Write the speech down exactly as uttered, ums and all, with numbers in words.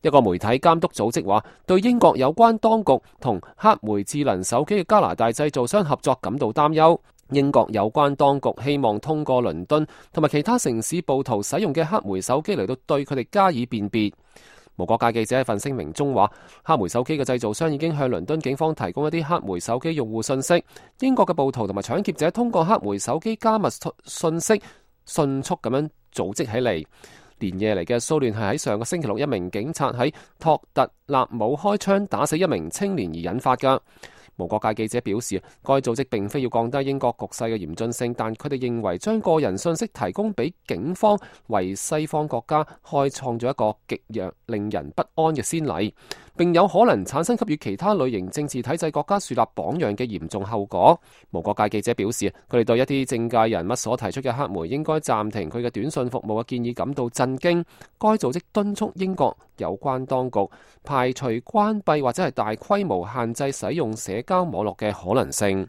一個媒體監督組織話，對英國有關當局同黑莓智能手機嘅加拿大製造商合作感到擔憂。英國有關當局希望通過倫敦同埋其他城市暴徒使用嘅黑莓手機嚟到對佢哋加以辨別。無國界記者喺份聲明中話，黑莓手機嘅製造商已經向倫敦警方提供一啲黑莓手機用戶信息。英國嘅暴徒同埋搶劫者通過黑莓手機加密信息，迅速咁樣組織起嚟。連夜嚟嘅騷亂係喺上個星期六一名警察喺托特納姆開槍打死一名青年而引發㗎。無國界記者表示，該組織並非要降低英國局勢嘅嚴峻性，但佢哋認為將個人信息提供俾警方，為西方國家開創咗一個極弱令人不安嘅先例，並有可能產生給予其他類型政治體制國家樹立榜樣嘅嚴重後果。無國界記者表示，佢哋對一啲政界人物所提出嘅黑莓應該暫停佢嘅短信服務嘅建議感到震驚。該組織敦促英國有關當局排除關閉或者係大規模限制使用社交網絡嘅可能性。